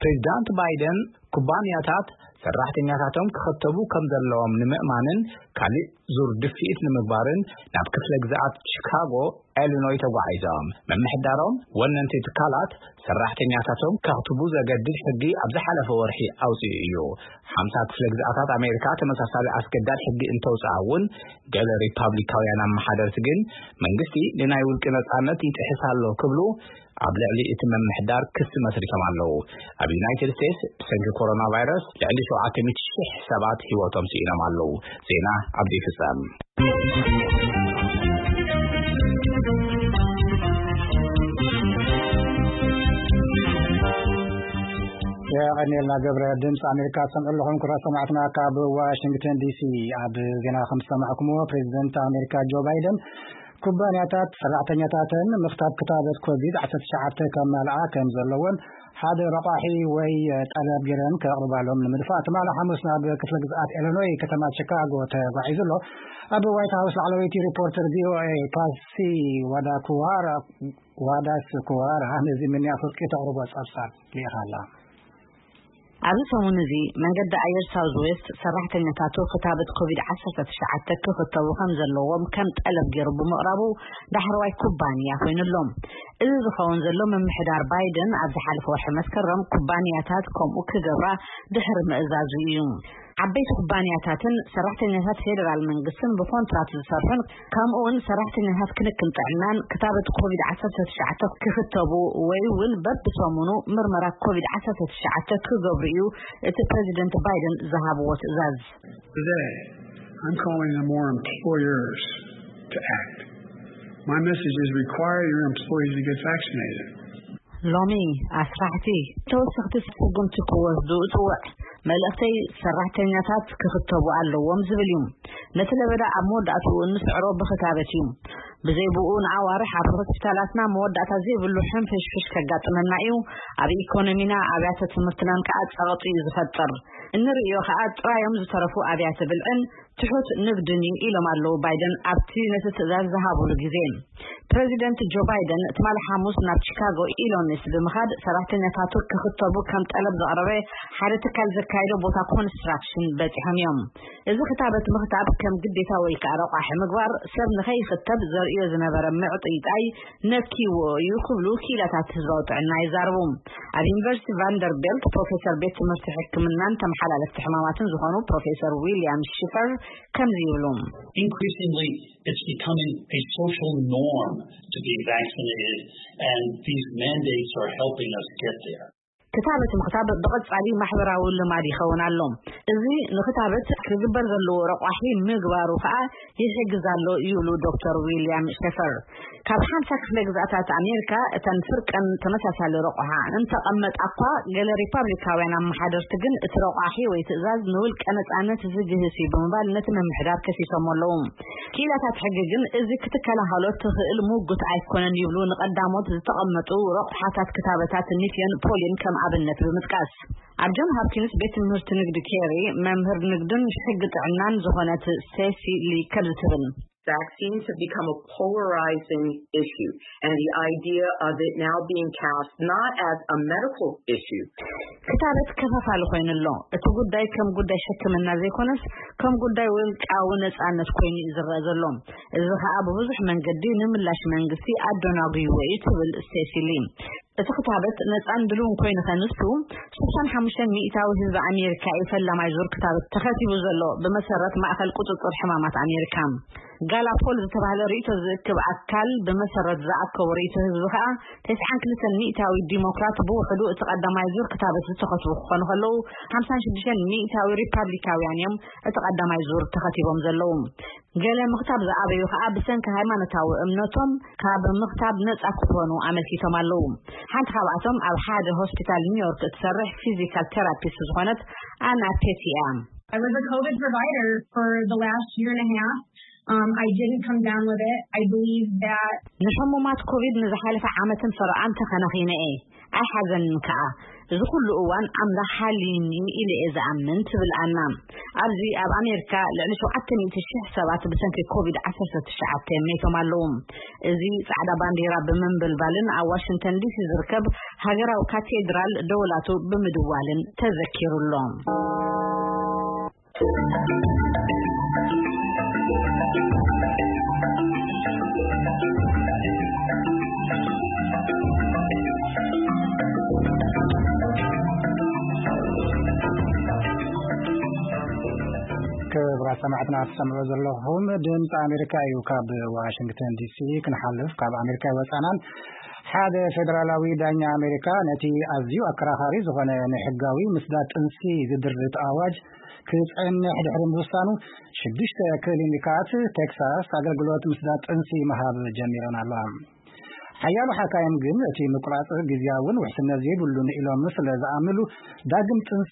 ፕሬዚዳንት ባይደን ኩባንያታት ሰራሕተኛታቶም ክኸተቡ ከም ዘለዎም ንምእማንን ካልእ ዙር ድፍኢት ንምግባርን ናብ ክፍለ ግዝኣት ቺካጎ ኤሊኖይ ተጓዒዞም። ምምሕዳሮም ወነንቲ ትካላት ሰራሕተኛታቶም ከኽትቡ ዘገድድ ሕጊ ኣብ ዝሓለፈ ወርሒ ኣውፂኡ እዩ። ሓምሳ ክፍለ ግዝኣታት ኣሜሪካ ተመሳሳሊ ኣስገዳድ ሕጊ እንተውፅኣ እውን፣ ገለ ሪፓብሊካውያን ኣመሓደርቲ ግን መንግስቲ ንናይ ውልቂ ነፃነት ይጥሕስ ኣሎ ክብሉ ኣብ ልዕሊ እቲ ምምሕዳር ክሲ መስሪቶም ኣለዉ። ኣብ ዩናይትድ ስቴትስ ብሰንኪ ኮሮና ቫይረስ ልዕሊ ሸውዓተ ሚእቲ ሺሕ ሰባት ህይወቶም ስኢኖም ኣለዉ። ዜና ኣብዚ ይፍጸም። የቐኔልና ገብረ። ድምፂ ኣሜሪካ ትሰምዑ ኣለኹም። ክቡራት ሰማዕትና፣ ካብ ዋሽንግተን ዲሲ። ኣብ ዜና ከም ዝሰማዕኩምዎ፣ ፕሬዚደንት ኣሜሪካ ጆ ባይደን ኩባንያታት ሰራሕተኛታተን ምኽታብ ክታበት ኮቪድ ዓሰርተ ትሽዓተ ከማልኣ ከም ዘለዎን ሓደ ረቋሒ ወይ ጠለብ ገይረን ከቕርባሎም ንምድፋእ ትማሊ ሓሙስ ናብ ክፍለ ግዝኣት ኢሊኖይ ከተማ ቺካጎ ተጓዒዙ ኣሎ። ኣብ ዋይት ሃውስ ላዕለወይቲ ሪፖርተር ቪ ኦ ኤ ፓሲ ዋዳኩዋራ ዋዳስ ኩዋራ ነዚ ምንያ ፍርቂ ተቕርቦ ጸብጻብ ልኢኻ ኣላ። ኣብዚ ሰሙን እዚ መንገዲ ኣየር ሳውዝ ዌስት ሰራሕተኛታቱ ክታበት ኮቪድ ዓሰርተ ትሽዓተ ክኽተቡ ከም ዘለዎም ከም ጠለብ ገይሩ ብምቕራቡ ዳሕረዋይ ኩባንያ ኮይኑ ኣሎ። እዚ ዝኸውን ዘሎ ምምሕዳር ባይደን ኣብ ዝሓለፈ ወርሒ መስከረም ኩባንያታት ከምኡ ክገብራ ድሕሪ ምእዛዙ እዩ። ዓበይቲ ኩባንያታትን ሰራሕተኛታት ፌደራል መንግስትን ብኮንትራት ዝሰርሑን ከምኡ እውን ሰራሕተኛታት ክንክን ጥዕናን ክታበት ኮቪድ ዓሰርተ ትሽዓተ ክኽተቡ ወይ እውን በብሰሙኑ ምርመራ ኮቪድ ዓሰርተ ትሽዓተ ክገብሩ እዩ እቲ ፕሬዚደንት ባይደን ዝሃብዎ ትእዛዝ። Today, I'm calling on more employers to act. My message is require your employees to get vaccinated. ሎሚ ኣስራሕቲ ተወሰኽቲ ስጉምቲ ክወስዱ እጽውዕ። መልእኽተይ ሰራሕተኛታት ክኽተቡ ኣለዎም ዝብል እዩ። ነቲ ለበዳ ኣብ መወዳእትኡ እንስዕሮ ብኽታበት እዩ። ብዘይ ብኡ ንኣዋርሕ ኣብ ሆስፒታላትና መወዳእታ ዘይብሉ ሕንፍሽፍሽ ከጋጥመና እዩ። ኣብ ኢኮኖሚና ኣብያተ ትምህርትናን ከኣ ጸቕጢ እዩ ዝፈጥር። እንርእዮ ከኣ ጥራዮም ዝተረፉ ኣብያተ ብልዕን ትሑት ንግድን እዩ ኢሎም ኣለዉ ባይደን ኣብቲ ነቲ ትእዛዝ ዝሃብሉ ግዜ። ፕረዚደንት ጆ ባይደን ትማሊ ሓሙስ ናብ ቺካጎ ኢሎኒስ ብምኻድ ሰራሕተኛታቱ ክኽተቡ ከም ጠለብ ዘቕረበ ሓደ ትካል ዘካየዶ ቦታ ኮንስትራክሽን በጺሖም እዮም። እዚ ክታበት ምኽታብ ከም ግዴታ ወይ ከኣ ረቋሒ ምግባር ሰብ ንኸይኽተብ ዘርእዮ ዝነበረ ምዕጥይጣይ ነኪዎ እዩ ክብሉ ክኢላታት ህዝባዊ ጥዕና ይዛረቡ። ኣብ ዩኒቨርሲቲ ቫንደርቤልት ፕሮፌሰር ቤት ትምህርቲ ሕክምናን ተመሓላለፍቲ ሕማማትን ዝኾኑ ፕሮፌሰር ዊልያም ሽፈር ከምዚ ይብሉ። Increasingly, it's becoming a social norm to be vaccinated, and these mandates are helping us get there. ክታበት ምኽታብ ብቐጻሊ ማሕበራዊ ልማድ ይኸውን ኣሎ። እዚ ንክታበት ክግበር ዘለዎ ረቋሒ ምግባሩ ከኣ ይሕግዝ ኣሎ ይብሉ ዶክተር ዊልያም ሸፈር። ካብ ሓምሳ ክፍለ ግዝኣታት ኣሜሪካ እተን ፍርቀን ተመሳሳሊ ረቋሓ እንተቐመጣ እኳ፣ ገለ ሪፓብሊካውያን ኣመሓደርቲ ግን እቲ ረቋሒ ወይ ትእዛዝ ንውልቀ ነጻነት ዝግህስ እዩ ብምባል ነቲ ምምሕዳር ከሲሶም ኣለዉ። ክኢላታት ሕጊ ግን እዚ ክትከላኸሎ ትኽእል ምጉት ኣይኮነን ይብሉ፣ ንቐዳሞት ዝተቐመጡ ረቑሓታት ክታበታት ኒፍዮን ፖሊን ከም ኣብነት ብምጥቃስ። ኣብ ጆን ሆፕኪንስ ቤት ትምህርቲ ንግዲ ኬሪ መምህር ንግድን ሕጊ ጥዕናን ዝኾነት ስቴሲ ሊ ከምዚ ትብል። Vaccines have become a polarizing issue, and the idea of it now being cast not as a medical issue. ክታበት ከፋፋሊ ኮይኑ ኣሎ። እቲ ጉዳይ ከም ጉዳይ ሕክምና ዘይኮነስ ከም ጉዳይ ውልቃዊ ነጻነት ኮይኑ እዩ ዝረኣ ዘሎ። እዚ ከኣ ብብዙሕ መንገዲ ንምላሽ መንግስቲ ኣደናጉይዎ እዩ ትብል ስቴሲሊ። እቲ ክታበት ነጻን ድልውን ኮይኑ ከንሱ ስሳን ሓሙሽተን ሚእታዊ ህዝቢ ኣሜሪካ እዩ ፈላማይ ዙር ክታበት ተኸቲቡ ዘሎ ብመሰረት ማእኸል ቁጽጽር ሕማማት ኣሜሪካ። ጋላፖል ዝተባህለ ርእይቶ ዝእክብ ኣካል ብመሰረት ዝኣከቦ ርእይቶ ህዝቢ ከኣ ተስዓን ክልተን ሚእታዊ ዲሞክራት ብውሕዱ እቲ ቀዳማይ ዙር ክታበት ዝተኸትቡ ክኾኑ ከለዉ ሓምሳን ሽዱሽተን ሚእታዊ ሪፓብሊካውያን እዮም እቲ ቀዳማይ ዙር ተኸቲቦም ዘለዉ። ገለ ምኽታብ ዝኣበዩ ከኣ ብሰንኪ ሃይማኖታዊ እምነቶም ካብ ምኽታብ ነጻ ክኾኑ ኣመልኪቶም ኣለዉ። ሓንቲ ካብኣቶም ኣብ ሓደ ሆስፒታል ኒውዮርክ እትሰርሕ ፊዚካል ቴራፒስት ዝኾነት ኣና ፔቲ እያ። I was a COVID provider for the last year and a half. Um, I didn't come down with it. I believe that ንሕሙማት ኮቪድ ንዝሓለፈ ዓመትን ፈረቓን ተኸናኺነ እየ። ኣይሓዘንን ከኣ። እዚ ኩሉ እዋን ኣምላኽ ሓልዩኒ ኢለ እየ ዝኣምን ትብል ኣና። ኣብዚ ኣብ ኣሜሪካ ልዕሊ ሸውዓተ ሚእቲ ሽሕ ሰባት ብሰንኪ ኮቪድ ዓሰርተ ትሽዓተ ሜቶም ኣለዉ። እዚ ጻዕዳ ባንዲራ ብምንብልባልን ኣብ ዋሽንግተን ዲሲ ዝርከብ ሃገራዊ ካቴድራል ደወላቱ ብምድዋልን ተዘኪሩ ኣሎ። ክቡራት ሰማዕትና ትሰምዑ ዘለኹም ድምፂ ኣሜሪካ እዩ። ካብ ዋሽንግተን ዲሲ ክንሓልፍ ካብ ኣሜሪካ ይወፃናን ሓደ ፌደራላዊ ዳኛ ኣሜሪካ ነቲ ኣዝዩ ኣከራኻሪ ዝኾነ ንሕጋዊ ምስዳድ ጥንሲ ዝድርት ኣዋጅ ክፀንሕ ድሕሪ ምውሳኑ ሽዱሽተ ክሊኒካት ቴክሳስ ኣገልግሎት ምስዳድ ጥንሲ ምሃብ ጀሚረን ኣለዋ። ሓያሎ ሓካይም ግን እቲ ምቁራፅ ግዝያውን ውሕስነት ዘይብሉን ኢሎም ስለ ዝኣምንሉ ዳግም ጥንሲ